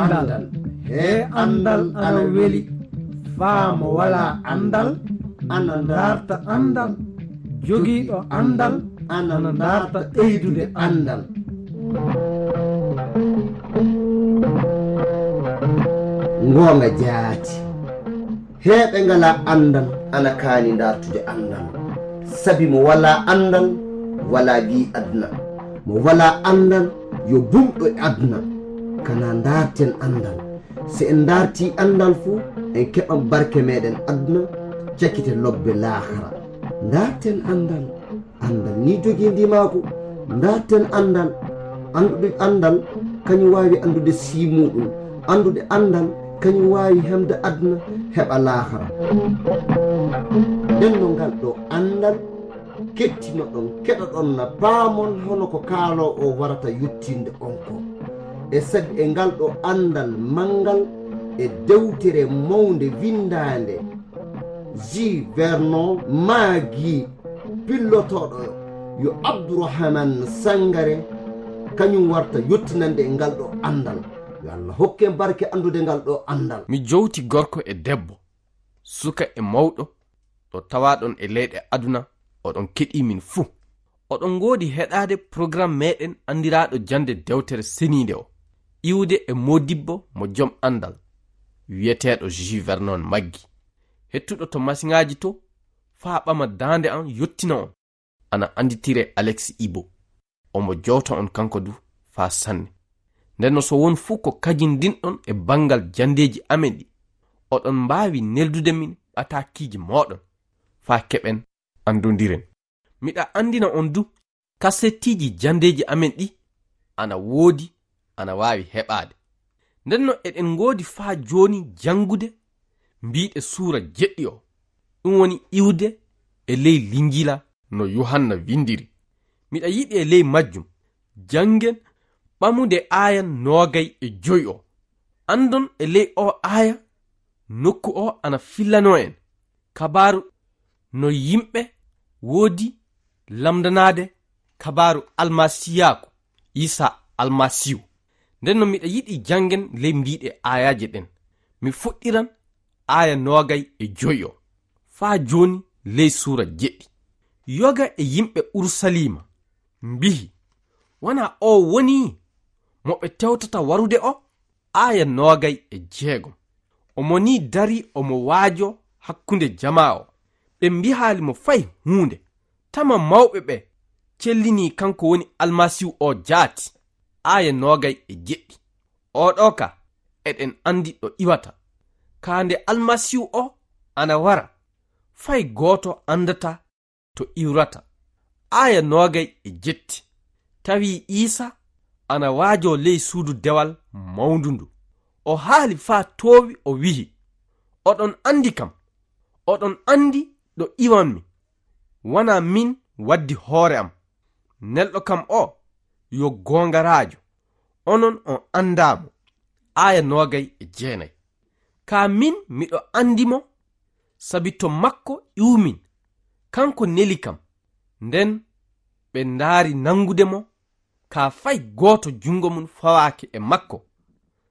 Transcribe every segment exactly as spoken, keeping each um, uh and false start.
Anndal. He anndal ana weli. Faa mo walaa anndal, ana ndaarta anndal. Jogiiɗo anndal, ana ndaarta ɓeydude anndal. Ngoonga jaati. Heeɓe ngalaa anndal, ana kaani ndaartude anndal. Sabi mo walaa anndal, walaa gi'i aduna. Mo walaa anndal, yo bumɗo e aduna. Kana ndaarten anndal. Si en ndaartii anndal fu, en keɓan barke meɗen aduna, cakite lobbe laakara. Ndaarten anndal. Anndal ni jogii ndimaagu. Ndaarten anndal. Anndude anndal, kañum waawi anndude sii muuɗum. Anndude anndal, kañum waawi hemde aduna, heɓa laakara. Nden no ngal ɗo anndal, kettinoɗon, keɗoɗon na paamon hono ko kaaloowo o warata yottinde on ko. E sabi e ngal ɗo anndal manngal e dewtere mawnde winndaande, Jules Vernon maagii pillotooɗo yo Abdourahmane Sangaré, kañum warta yottinande e ngal ɗo anndal. Yo Allah hokke en barke anndude ngal ɗo anndal. Mi jowti gorko e debbo, suka e mawɗo, ɗo tawaaɗon e leyɗe aduna, oɗon keɗii min fuu. Oɗon ngoodi heɗaade programme meɗen anndiraaɗo jannde dewtere seniinde o, iwde e moodibbo mo jom anndal, wiyeteeɗo Jules Vernon maggi. Hettuɗo to masiŋaaji to, faa ɓama daande am yottina on. Ana annditire Alex Ibo. Omo jowta on kanko du faa sanne. Nden no so won fuu ko kajindinɗon e banngal janndeeji amen ɗi, oɗon mbaawi neldude min ɓataakiiji mooɗon faa keɓen anndondiren. Miɗa anndina on du, kasettiiji janndeeji amen ɗi ana woodi, ana waawi heɓaade. Nden no eɗen ngoodi faa jooni janngude mbiiɗe suura jeɗɗi o, ɗum woni iwde e ley Linjiila no Yuhanna winndiri. Miɗa yiɗi e ley majjum janngen ɓamude aaya noogay e joy o. Anndon e ley o aaya, nokku o ana fillanoo en kabaaru no yimɓe woodi lamndanaade kabaaru almasiyaaku, Iisaa Almasiihu. Nden no miɗa yiɗi janngen ley mbiiɗe aayaaje ɗen. Mi fuɗɗiran aaya noogay e joy o faa jooni ley suura jeɗɗi. Yoga e yimɓe Urusaliima mbihi, "Wanaa o woni mo ɓe tewtata warude o?" Aaya noogay e jeegom. Omo nii darii omo waajoo hakkunde jamaa o. Ɓe mbihaali mo fay huunde. Tama mawɓe ɓe cellinii kanko woni Almasiihu o jaati. Aaya noogay e jeɗɗi. Oɗo ka, eɗen anndi ɗo iwata. Kaa nde Almasiihu o ana wara, fay gooto anndataa to iwrata. Aaya noogay e jetti. Tawi Iisa ana waajoo ley suudu dewal mawndu ndu. O haali faa toowi, o wi'i, "Oɗon anndi kam, oɗon anndi ɗo iwanmi. Wanaa min waddi hoore am. Nelɗo kam o yo goongaraajo, onon on anndaa mo." Aaya noogay e jeenay. Kaa min miɗo anndi mo, sabi to makko iwmin, kanko neli kam. Nden ɓe ndaari nanngude mo, kaa fay gooto junngo mum fawaaki e makko,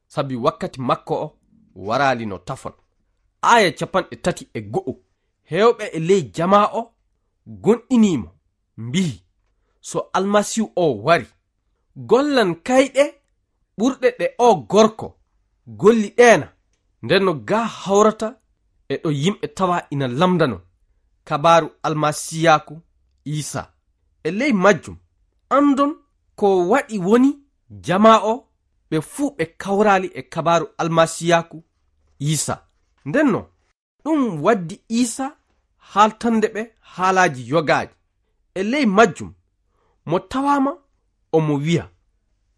sabi wakkati makko o waraali no tafon. Aaya capanɗe tati e go'o. Heewɓe e ley jamaa o gonɗinii mo, mbi'i, "So Almasiihu o wari, gollan kayɗe ɓurɗe ɗe o gorko golli ɗeena." Nden no gaa hawrata e ɗo yimɓe tawa ina lamndano kabaaru almasiyaaku Iisa. E ley majjum, anndon ko waɗi woni jamaa o ɓe fuu ɓe kawraali e kabaaru almasiyaaku Iisa. Nden no ɗum waddi Iisa haaltande ɓe haalaaji yogaaji. E ley majjum, mo tawaama omo wiya,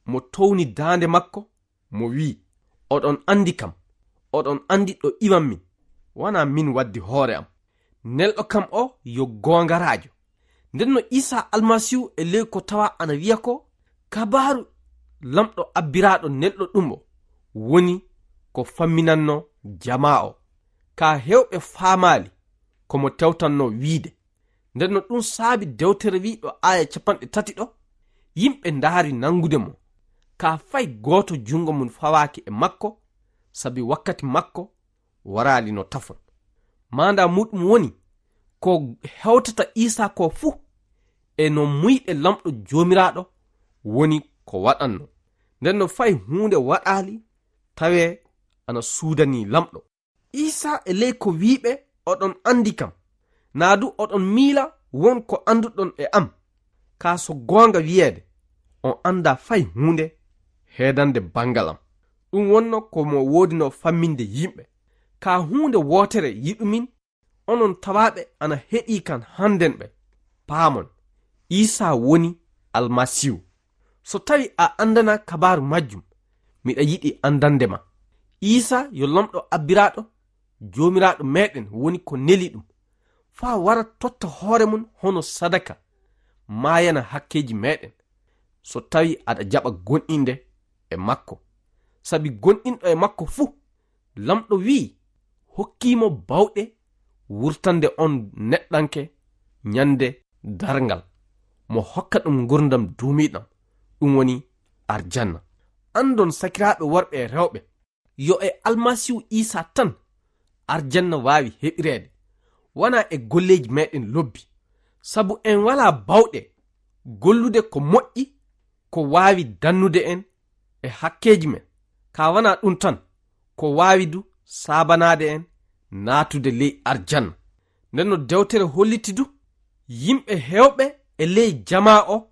mo towni daande makko, mo wi'i, "Oɗon anndi kam, oɗon anndi ɗo iwanmi, wanaa min waddi hoore am. Nelɗo kam o yo goongaraajo." Nden no Iisa Almasiihu e ley ko tawa ana wiya ko, kabaaru Laamɗo abbiraaɗo nelɗo ɗum o woni ko famminannoo jamaa o. Kaa heewɓe faamaali ko mo tewtannoo wiide. Nden no ɗum saabi dewtere wi'i ɗo aaya capanɗe tati ɗo, Yimɓe ndaari nangude mo, kaa fay gooto junngo mum fawaaki e makko, sabi wakkati makko waraali no tafon. Maandaa muuɗum woni, ko hewtata Iisaa koo fuu, e no muuyɗe Laamɗo Joomiraaɗo woni ko waɗanno. Nden no fay huunde waɗaali tawee ana suudanii Laamɗo. Iisaa e ley ko wi'iɓe, "Oɗon anndi kam, naa du oɗon miila won ko annduɗon e am. Kaa so goonga wi'eede, on anndaa fay huunde heedande banngal am." Ɗum wonno ko mo woodino famminde yimɓe. Kaa huunde wootere yiɗumin, onon tawaaɓe ana heɗii kan hannden ɓe, paamon, Iisaa woni Almasiihu. So tawi a anndana kabaaru majjum, miɗa yiɗi anndande ma. Iisaa yo Laamɗo abbiraaɗo, Joomiraaɗo meeɗen woni ko neli ɗum, faa wara totta hoore mum hono sadaka, maayana hakkeeji meeɗen, so tawi aɗa jaɓa gonɗinde e makko. Sabi gonɗinɗo e makko fuu, Laamɗo wi'i, hokkii mo baawɗe wurtande on neɗɗanke ñande darngal, mo hokka ɗum ngurndan duumiiɗan, ɗum woni arjanna. Anndon, sakiraaɓe worɓe e rewɓe, yo e Almasiihu Iisaa tan arjanna waawi heɓireede, wanaa e golleeji meeɗen lobbi. Sabu en walaa baawɗe gollude ko moƴƴi ko waawi dannude en e hakkeeji men, kaa wanaa ɗum tan, ko waawi du saabanaade en naatude ley arjanna. Nden no dewtere holliti du, yimɓe heewɓe e ley jamaa o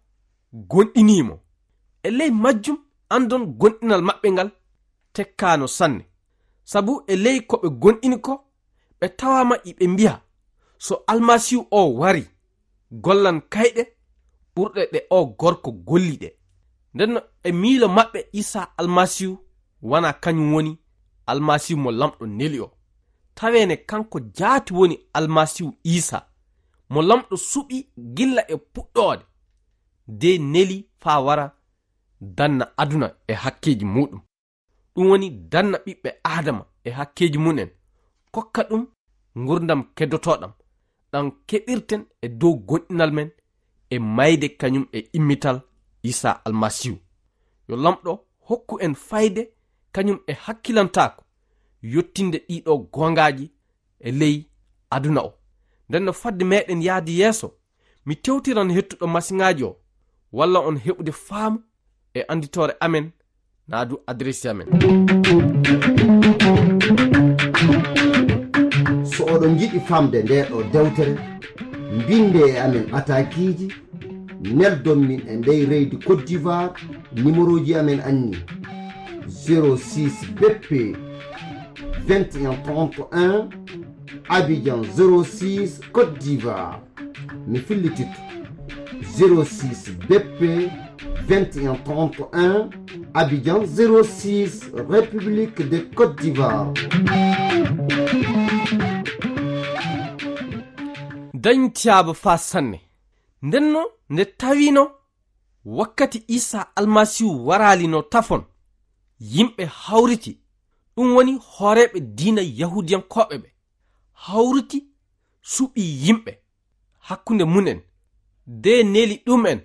gonɗinii mo. E ley majjum anndon gonɗinal maɓɓe ngal tekkaano sanne. Sabu e ley ko ɓe gonɗini ko, ɓe tawaama iɓe mbi'a, so Almasiihu o wari, gollan kayɗe ɓurɗe ɗe o gorko golli ɗe. Nden no e miilo maɓɓe Iisaa Almasiihu wanaa kañum woni Almasiihu mo Laamɗo neli o. Taweene kanko jaati woni Almasiihu Iisaa, mo Laamɗo suɓi gilla e puɗɗoode, de neli faa wara danna aduna e hakkeeji muuɗum. Ɗum woni danna ɓiɓɓe Aadama e hakkeeji mum en, kokka ɗum ngurdam keddotooɗam, ɗam keɓirten e dow gonɗinal men e mayde kañum e immital Iisaa Almasiihu. Yo Laamɗo hokku en fayde kañum e hakkilantaako, yottinde ɗiɗo goongaaji e ley aduna o. Nden no fadde meeɗen yaade yeeso, mi tewtiran hettuɗo masiŋaaji o, walla on heɓude faamu e annditoore amen, naa du adresi amen. So oɗon njiɗi famde ndee ɗo dewtere, mbinde e amen atakiiji, neldon min e ndey leydi Côte d'Ivoire, numéroji amen anni: zéro six B P vingt et un trente et un, Abidjan zéro six, Côte d'Ivoire. Mi fillititto: zéro six B P vingt et un trente et un, Abidjan zéro six, République de Côte d'Ivoire. Dañtiyaaba faa sanne. Ndenno nde tawino wakkati Iisaa Almasiihu waraali no tafon, yimɓe hawriti, ɗum woni hooreeɓe diina Yahuudiyankooɓe ɓe, hawriti suɓii yimɓe hakkunde mum en, de neli ɗum en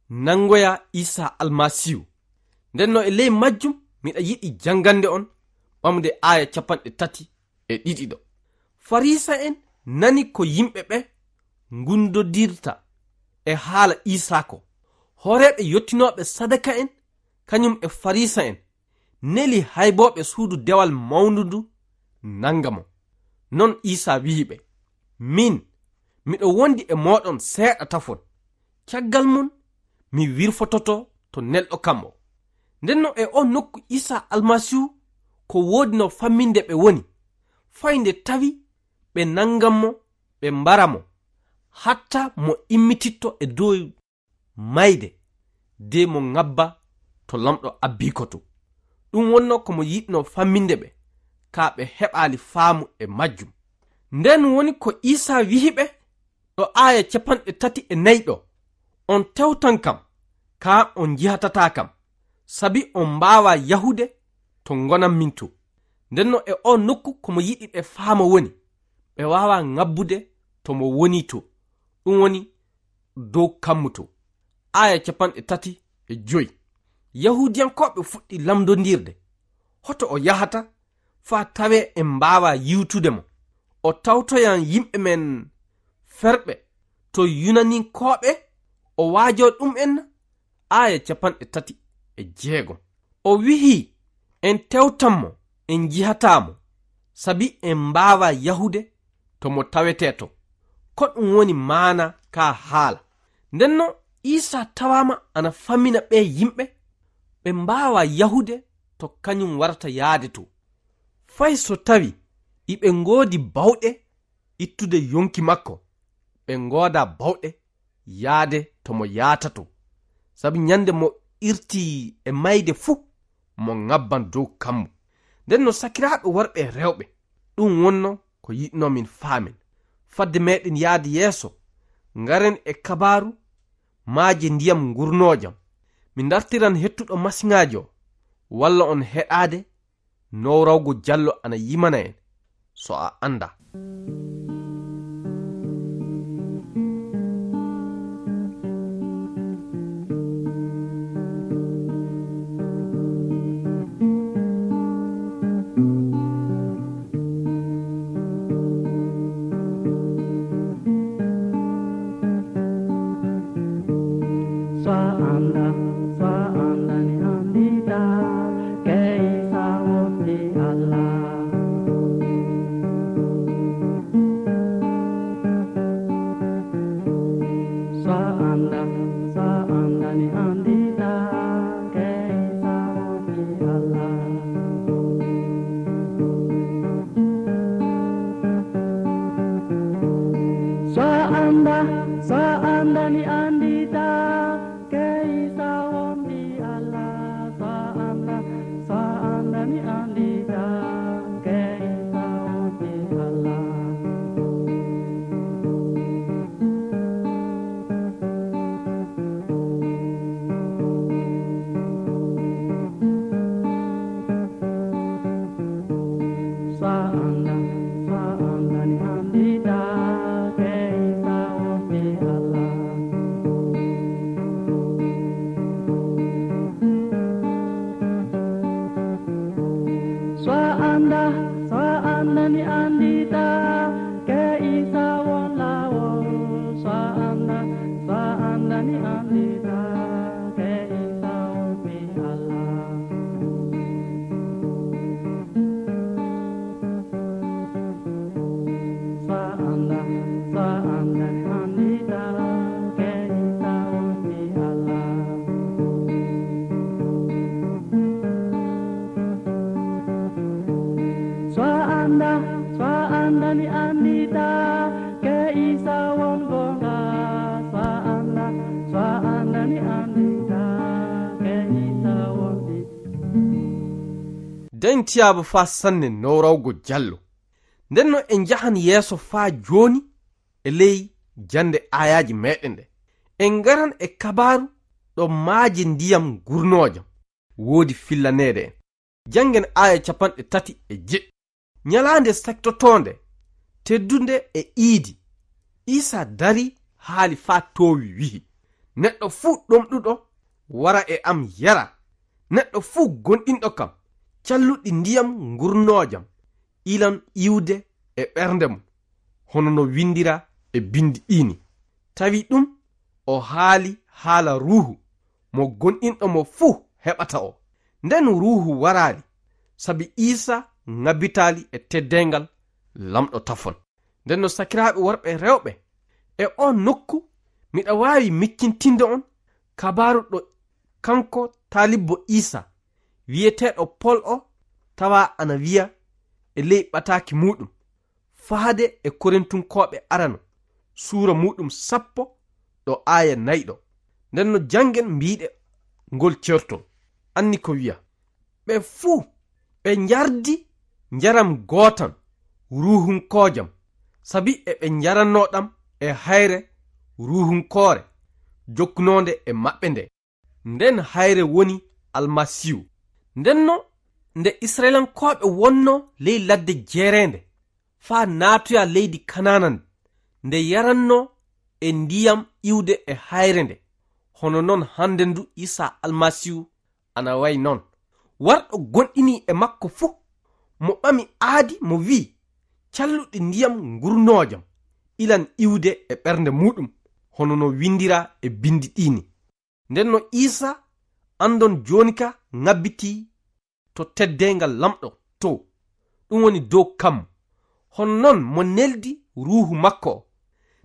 nanngoya Iisaa Almasiihu. Nden no e ley majjum miɗa yiɗi janngande on ɓamde aaya capanɗe tati e ɗiɗi ɗo. Fariisa'en nani ko yimɓe ɓe ngundodirta e haala Iisaa ko. Hooreeɓe yottinooɓe sadaka'en kañum e Fariisa'en neli haybooɓe suudu dewal mawndu ndu nannga mo. Non Iisaa wi'i ɓe: "Min, miɗo wondi e mooɗon seeɗa tafon. Caggal mum, mi wirfototo to nelɗo kam o." Nden no e oo nokku Iisaa Almasiihu ko woodino famminde ɓe woni, fay nde tawi ɓe nanngan mo, ɓe mbara mo, hatta mo immititto e dow mayde, de mo ŋabba to Laamɗo abbii ko to. Ɗum wonno ko mo yiɗno famminde ɓe, kaa ɓe heɓaali faamu e majjum. Nden woni ko Iisaa wi'i ɓe ɗo aaya capanɗe tati e nayi ɗo: "On tewtan kam, kaa on njihatataa kam, sabi on mbaawaa yahude to ngonan min to." Nden no e oo nokku ko mo yiɗi ɓe faama woni, ɓe waawaa ŋabbude to mo woni to, ɗum woni dow kammu to. aaya capanɗe tati e joy. Yahuudiyankooɓe fuɗɗi lamndondirde hoto o yahata faa tawee en mbaawaa yi'utude mo. O tawtoyan yimɓe men ferɓe to Yunaninkooɓe, o waajoo ɗum'en na? Aaya capanɗe tati e jeegom. O wi'i, en tewtan mo, en njihataa mo, sabi en mbaawaa yahude to mo tawetee to. Ko ɗum woni maana kaa haala. Ndennoo Iisaa tawaama ana famina ɓee yimɓe, ɓe mbaawaa yahude to kañum warata yaade to. Fay so tawii iɓe ngoodi bawɗe ittude yonki makko, ɓe ngoodaa bawɗe yaade to mo yaata to. Sabi ñande mo irtii e mayde fuu, mo ŋabban dow kammu. Ndennoo sakiraaɓe worɓe e rewɓe, ɗum wonnoo ko yiɗnoo min faamen. Fadde meɗen yaade yeeso, ngaren e kabaaru maaje ndiyam ngurnoojam. Mi ndartiran hettuɗo masiŋaajo, walla on heɗaade Nowrawgo Jallo ana yimana en, so a anndaa. So a anndaa, so a anndaa ni anndita, ke Iisaa wonti Allah. So a anndaa, so a anndaa ni anndita, ke Iisaa wonti Allah. So a anndaa, so a anndaa ni anndita, ke Iisaa wonti Allah. So a anndaa, so a anndaa ni anndita, ke Iisaa wonti Allah. So a anndaa, so a anndaa ni anndita, ke Iisaa wonti Allah. So a anndaa, so a anndaa ni anndita, ke Iisaa won laawol. So a anndaa, so a anndaa ni anndita, ke Iisaa wonti Allah. So a anndaa, so a anndaa ni anndita, ke Iisaa wonti Allah. So a anndaa, so a anndaa ni anndita, ke Iisaa won goonga. So a anndaa, so a anndaa ni anndita, ke Iisaa wonti. Den tiyaaba faa sanne Nowrawgo Jallo. Ndennoo en njahan yeeso faa jooni e ley jannde aayaaje meɗen ɗe. En ngaran e kabaaru ɗo maaje ndiyam ngurnoojam woodi fillaneede en. Janngen aaya capanɗe tati e jeɗɗi. Ñalaande sektotoonde, teddunde e iidi, Iisaa darii haali faa toowi wi'i, neɗɗo fuu ɗomɗuɗo wara e am yara. Neɗɗo fuu gomɗinɗo kam, calluɗi ndiyam ngurnoojam ilan iwde e ɓernde mum, hono no winndiraa e binndi ɗii ni. Tawi ɗum o haali haala Ruuhu mo gomɗinɗo mo fuu heɓata o. Nden Ruuhu waraali, sabi Iisaa ŋabbitaali e teddeengal Laamɗo tafon. Nden no sakiraaɓe worɓe e rewɓe, e oo nokku miɗa waawi miccintinde on kabaaru ɗo kanko taalibbo Iisaa wi'eteeɗo Pol o tawaa ana wi'a e ley ɓataaki muuɗum, faade e Korintunkooɓe arano, suura muuɗum sappo ɗo aaya nayi ɗo. Nden no janngen mbiiɗe ngol certol. Anni ko wi'a, ɓe fuu ɓe njardi njaram gootam ruuhunkoojam, sabi eɓe njarannoo ɗam e hayre ruuhunkoore jokkunoonde e maɓɓe nde. Nden hayre woni Almasiihu. Ndenno nde Isra'ilankooɓe wonnoo ley ladde jeereende faa naatoya leydi Kanaana, nde yarannoo e ndiyam iwde e hayre nde, Hono non hande ndu Isa Almasiihu ana wayi non. Warɗo gonɗini e makko fuu, mo ɓami aadi mo wi'i, "Calluɗi ndiyam ngurnoojam ilan iwde e ɓernde muuɗum, hono no windiraa e bindi ɗiini." Nden no Isa andon jooni ka ŋabbitii to teddeengal Lamɗo to, ɗum woni dow kammu. Hono non mo neldi Ruuhu makko o.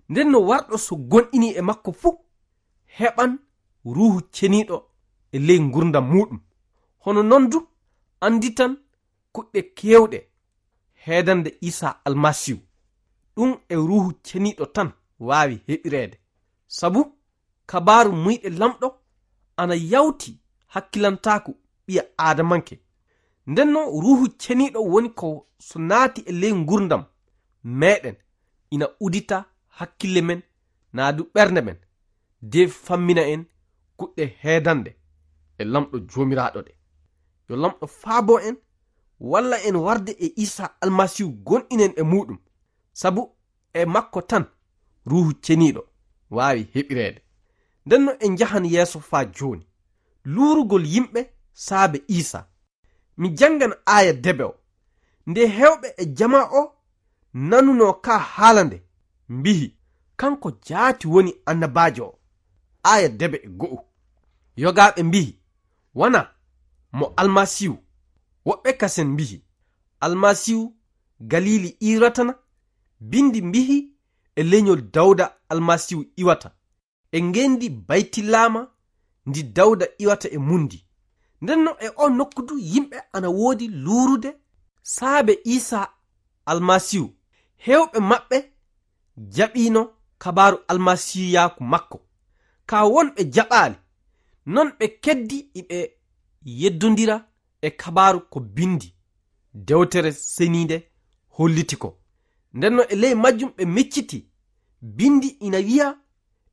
Nden no warɗo so gonɗini e makko fuu, heɓan Ruuhu Ceniiɗo e ley ngurdam muuɗum. Hono non du, anditan kuɗɗe keewɗe heedande Isa Almasiihu. Ɗum e Ruuhu Ceniiɗo tan waawi heɓireede. Sabu kabaaru muyɗe Lamɗo ana yawti hakkilantaaku ɓiya Aadamanke. Nden non Ruuhu Ceniiɗo woni ko so naati e ley ngurdam meeɗen, ina udita hakkille men, naa du ɓernde men, de fammina en kuɗɗe heedande e Lamɗo Joomiraaɗo ɗe. Yo Lamɗo faabo en, walla en warde e Isa Almasiihu gonɗinen e muuɗum. Sabu e makko tan Ruuhu Ceniiɗo waawi heɓireede. Nden no en njahan yeeso faa jooni. Luurugol yimɓe saabe Iisaa. Mi janngan aaya debe o. Nde heewɓe e jamaa o nanunoo kaa haala nde, mbihi, "Kanko jaati woni annabaajo o." Aaya debe e go'o. Yogaaɓe mbihi, "Wanaa mo Almasiihu." Woɓɓe kasen mbihi, "Almasiihu Galili iwratana? Bindi mbihi e lenyol Dawda Almasiihu iwata. E ngendi Baytilaama ndi Dawda iwata e mundi." Nden no e o nokku du yimɓe ana woodi luurude saabe Iisaa Almasiihu. Heewɓe maɓɓe jaɓiino kabaaru almasiiyaaku makko. Kaa wonɓe jaɓaali, non ɓe keddi iɓe yeddondira e kabaaru ko bindi Dewtere Seniinde holliti ko. Nden no e ley majjum ɓe micciti, bindi ina wi'a,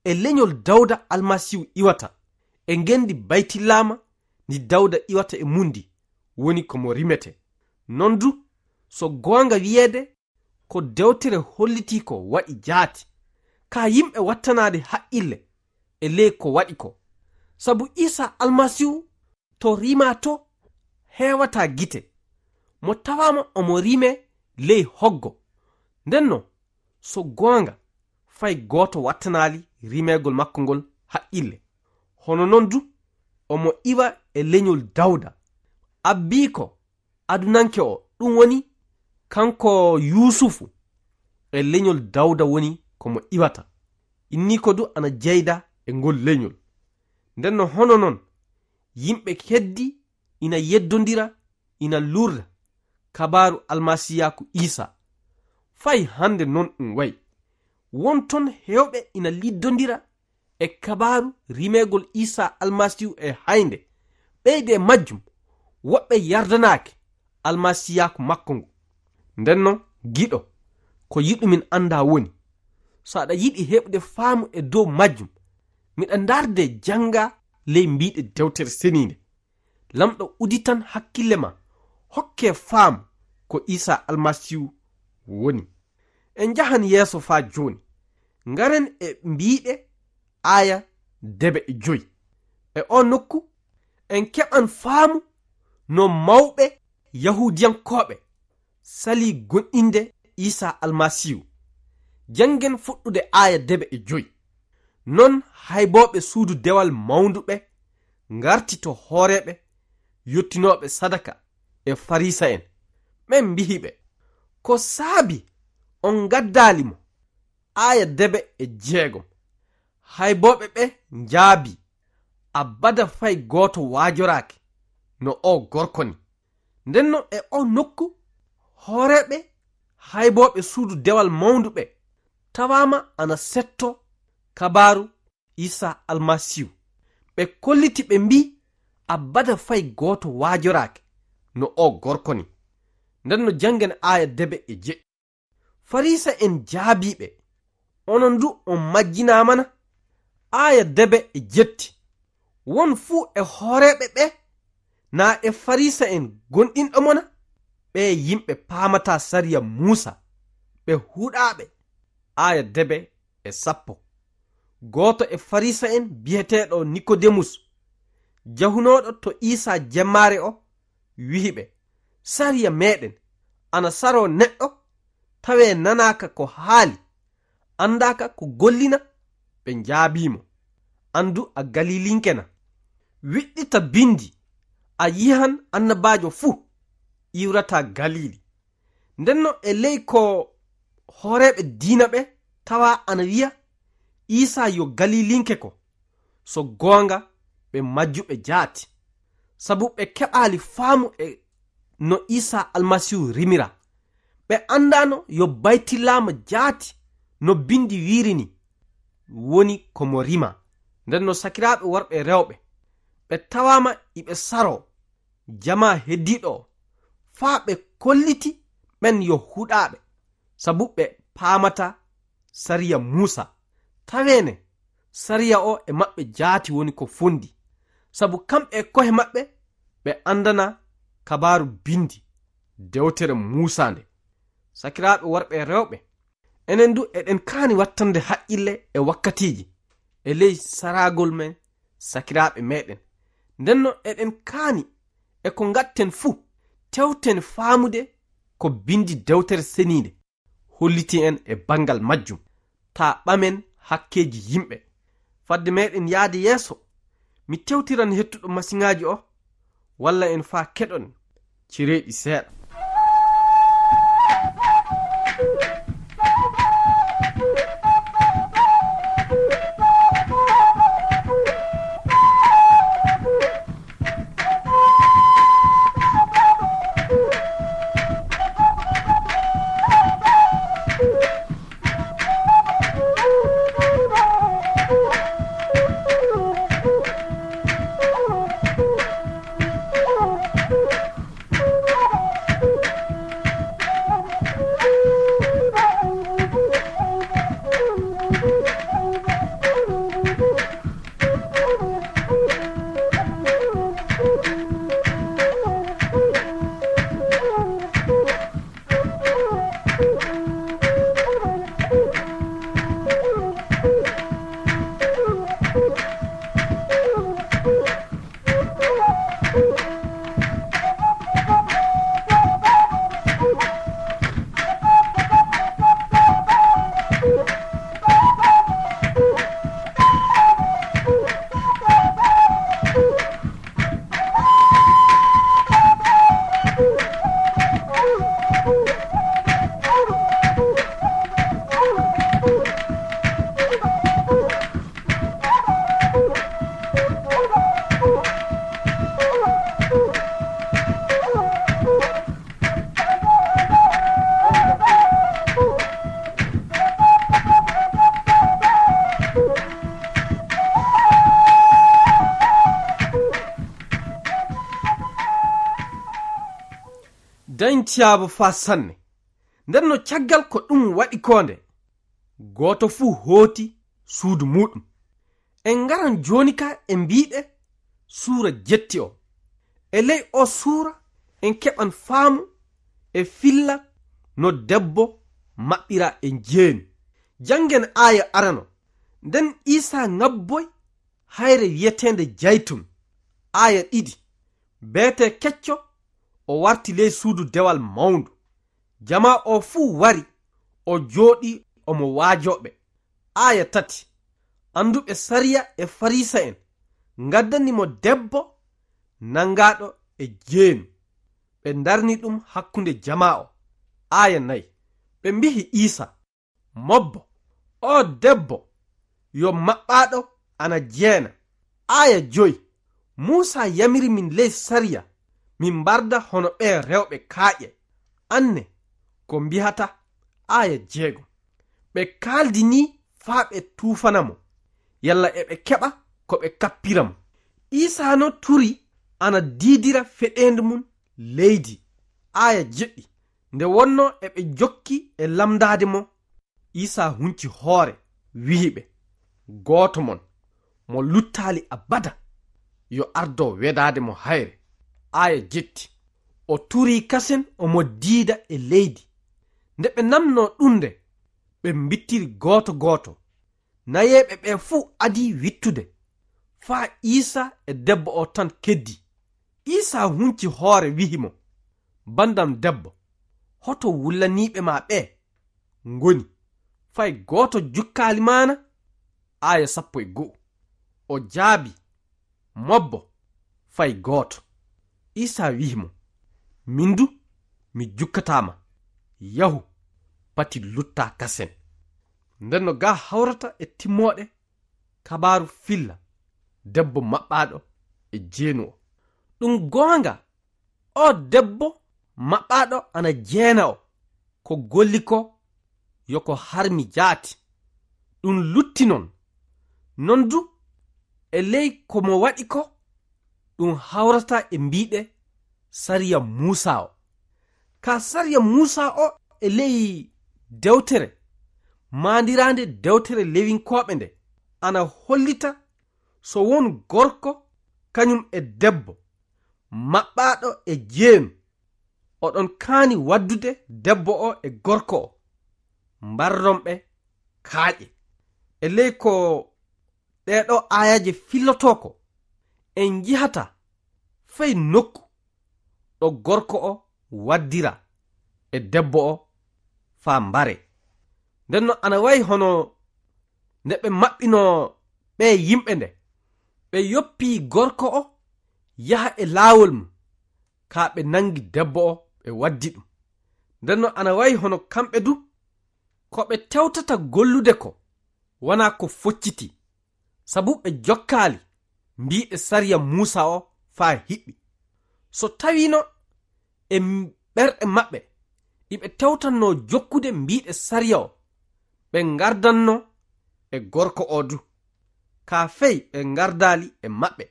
"E lenyol Dawda Almasiihu iwata, e ngendi Baytilaama ndi Dawda iwata e mundi, woni ko mo rimete." Non du, so goonga wiyeede, ko dewtere hollitii ko waɗi jaati, kaa yimɓe wattanaade haqqille e ley ko waɗi ko. Sabu Iisaa Almasiihu to rimaa to heewataa gite. Mo tawaama omo rimee ley hoggo. Nden no, so goonga, fay gooto wattanaali rimeegol makko ngol haqqille. Hono non du, omo iwa e lenyol Dawda. Abbiiko adunanke o, ɗum woni kanko Yuusufu, e lenyol Dawda woni ko mo iwata. Inniiko du ana jeyda e ngol lenyol. Nden no hono non, yimɓe keddi ina yeddondira, ina luurda kabaaru almasiiyaaku Iisaa. Fay hande non ɗum wayi. Won ton heewɓe ina liddondira e kabaaru rimeegol Iisaa Almasiihu e haynde. Ɓeyde e majjum, woɓɓe yardanaaki almasiiyaaku makko ngu. Nden non, giɗo, ko yiɗumin anndaa woni, so aɗa yiɗi heɓude faamu e dow majjum, miɗa ndaarde jannga ley mbiiɗe Dewtere Seniinde. Lamɗo uditan hakkille ma, hokke faamu ko Iisaa Almasiihu woni. En njahan yeeso faa jooni. Ngaren e mbiiɗe aaya debe e joy. E oo nokku, en keɓan faamu no mawɓe Yahuudiyankooɓe salii goonɗinde Iisaa Almasiihu. Janngen fuɗɗude aaya debe e joy. Non haybooɓe suudu dewal mawndu ɓe ngarti to hooreeɓe yottinooɓe sadaka e Fariisa'en. Ɓen mbihi ɓe, "Ko saabi on ngaddaali mo?" Aaya debe e jeegom. Haybooɓe ɓe njaabii, "Abada fay gooto waajoraaki no oo gorko ni." Nden non e oo nokku, hooreeɓe haybooɓe suudu dewal mawndu ɓe tawaama ana setto kabaaru Iisaa Almasiihu. Ɓe kolliti ɓe mbii, "Abada fay gooto waajoraaki no oo gorko ni." Nden no janngen aaya debe e jeɗɗi. Fariisa'en jaabii ɓe, "Onon du on majjinaama na?" Aaya debe e jetti. Won fuu e hooreeɓe ɓe, naa e Fariisa'en gonɗinɗo mo na? Ɓe yimɓe paamataa sariya Muusa, ɓe huɗaaɓe. Aaya debe e sappo. Gooto e Farisa'en biyeteeɗo Nikodemus, jahunooɗo to Iisaa jemmaare o, wi'i ɓe, "Sariya meeɗen ana saroo neɗɗo tawee nanaaka ko haali, anndaaka ko gollina?" Ɓe njaabii mo, "An du a Galilinke na? Wiɗɗita Binndi, a yi'an annabaajo fuu iwrataa Galili." Ndenno e ley ko hooreeɓe diina ɓe tawaa ana wi'a Iisaa yo Galilinke ko, so goonga ɓe majjuɓe jaati, sabu ɓe keɓaali faamu e no Iisaa Almasiihu rimira. Ɓe anndaano yo Baytilaama jaati no Binndi wi'iri ni woni ko mo rima. Ndenno sakiraaɓe worɓe e rewɓe, ɓe tawaama iɓe saroo jamaa heddiiɗo o, faa ɓe kolliti ɓen yo huɗaaɓe, sabu ɓe paamataa sariya Muusaa. Taweene, sariya o e maɓɓe jaati woni ko fondi, sabu kamɓe e ko'e maɓɓe ɓe anndanaa Kabaaru Binndi, dewtere Muusaa nde. Sakiraaɓe worɓe e rewɓe, enen du eɗen kaani wattande haqqille e wakkatiiji e ley saragol men sakiraaɓe meɗen. Ndenno eɗen kaani e ko ngaɗten fuu, tewten faamude ko Binndi Dewtere Seniinde holliti en e banngal majjum. Taa ɓamen hakkeeji yimɓe. Fadde meɗen yaade yeeso, mi tewtiran hettuɗo masiŋaaji o, walla en faa keɗon cereeɗi seeɗa. Dañtiyaaba faa sanne. Nden no caggal ko ɗum waɗi koo nde, gooto fuu hooti suudu muuɗum. En ngaran jooni ka e mbiiɗe suura jetti o. E ley o suura en keɓan faamu e filla no debbo maɓɓira e njeenu. Janngen aaya arano. Nden Iisaa ŋabboy hayre wi'eteende Jaytun. Aaya ɗiɗi. Beetee kecco o warti ley suudu dewal mawndu. Jamaa o fuu wari, o jooɗii omo waajoo ɓe. Aaya tati. Annduɓe sariya e Fariisa'en ngaddani mo debbo nanngaaɗo e jeenu. Ɓe ndarni ɗum hakkunde jamaa o. Aaya nayi. Ɓe mbi'i Iisa, "Mobbo, oo debbo yo maɓɓaaɗo ana jeena." Aaya joy. Muusaa yamiri min ley sariya, min mbarda hono ɓee rewɓe kaaƴe. Anne ko mbihata. Aaya jeego. Ɓe kaaldi nii faa ɓe tuufana mo, yalla eɓe keɓa ko ɓe kappira mo. Iisaa no turi ana diidira feɗeendu mum leydi. Aaya jeɗɗi. Nde wonnoo eɓe jokki e lamndaade mo, Iisaa hunci hoore, wi'i ɓe, "Gooto mon mo luttaali abada, yo ardo wedaade mo hayre." Aaya jetti. O turii kasen omo diida e leydi. Nde ɓe namnoo ɗum nde, ɓe mbittiri gooto gooto. Nayeeɓe ɓe fuu adii wittude, faa Iisa e debbo o tan keddii. Iisa hunci hoore, wi'i mo, "Banndam debbo, hoto wullaniiɓe ma ɓe ngoni? Fay gooto jukkaali ma na?" Aaya sappo e go'o. O jaabii, "Mobbo, fay gooto." Iisa wi'i mo, "Min du, mi jukkataa ma. Yahu, pati luttaa kasen." Nden no gaa hawrata e timmooɗe kabaaru filla debbo maɓɓaaɗo e jeenu o. Ɗum goonga, o debbo maɓɓaaɗo ana jeena o, ko golli ko yo ko harmi jaati. Ɗum lutti non. Non du, e ley ko mo waɗi ko, ɗum hawrata e mbiiɗe sariya Muusa o. Ka sariya Muusa o e ley dewtere maandiraande dewtere Lewinkooɓe nde, ana hollita so won gorko kañum e debbo maɓɓaaɗo e jeenu, oɗon kaani waddude debbo o e gorko o, mbarron ɓe kaaƴe. E ley ko ɗee ɗoo aayaaje fillotoo ko, en njihata fay nokku ɗo gorko o waddira e debbo o faa mbare. Nden no ana wayi hono nde ɓe maɓɓinoo ɓee yimɓe nde, ɓe yoppii gorko o yaha e laawol mum, kaa ɓe nanngi debbo o ɓe waddi ɗum. Nden no ana wayi hono kamɓe du, ko ɓe tewtata gollude ko wanaa ko focciti, sabu ɓe jokkaali mbiiɗe sariya Muusa o faa hiɓɓi. So tawiino e m-, ɓerɗe maɓɓe iɓe tewtannoo jokkude mbiiɗe sariya o, ɓe ngardanno e gorko o du. Kaa fey ɓe ngardaali e maɓɓe.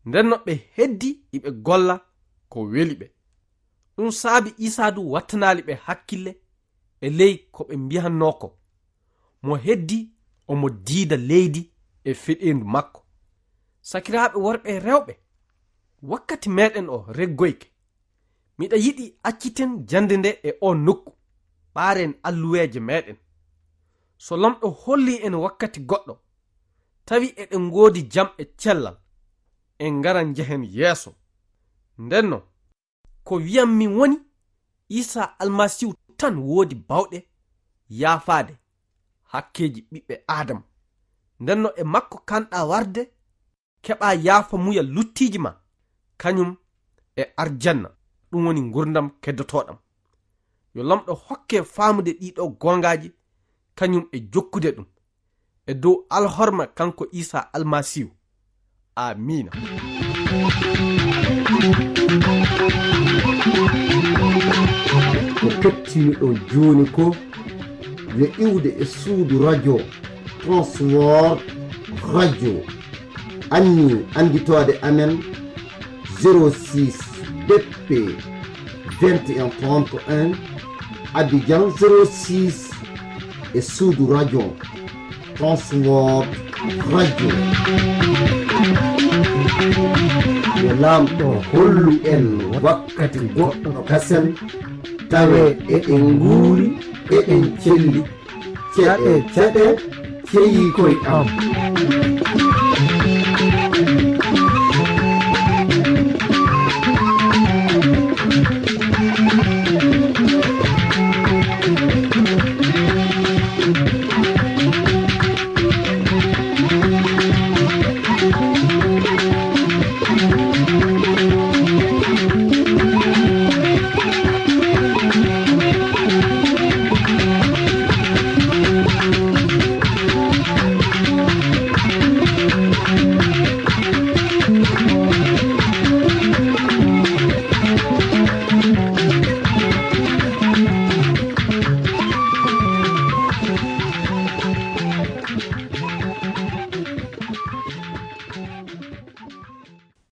Nden no ɓe heddi iɓe golla ko weli ɓe. Ɗum saabi Iisaa du wattanaali ɓe hakkille e ley ko ɓe mbiyannoo ko. Mo heddi omo diida leydi e feɗeendu makko. Sakiraaɓe worɓe e rewɓe, wakkati meeɗen o reggoyke. Miɗa yiɗi acciten jannde nde e o nokku, ɓaaren alluweeje meeɗen. So Laamɗo hollii en wakkati goɗɗo, tawi eɗen ngoodi jam e cellal, en ngara njehen yeeso. Nden no, ko wi'anmi woni, Iisaa Almasiihu tan woodi baawɗe yaafaade hakkeeji ɓiɓɓe Aadama. Nden no e makko kaanɗaa warde, keɓaa yaafamuya luttiiji ma, kañum e arjanna, ɗum woni ngurndan keddotooɗan. Yo Laamɗo hokke faamude ɗii ɗoo goongaaji, kañum e jokkude ɗum. E dow alhorma kanko Iisaa Almasiihu. Aamiina. Ko kettiniɗon jooni ko yo iwde e suudu radio Transworld Radio. Anni annditoode amen zéro six B P vingt et un trente et un, Abidjan zéro six, e suudu radio Transworld Radio. Yo Laamɗo hollu en wakkati goɗɗo kasen, tawe eɗen nguuri, eɗen celli. Ceɗe, ceɗe, ceyi koy am.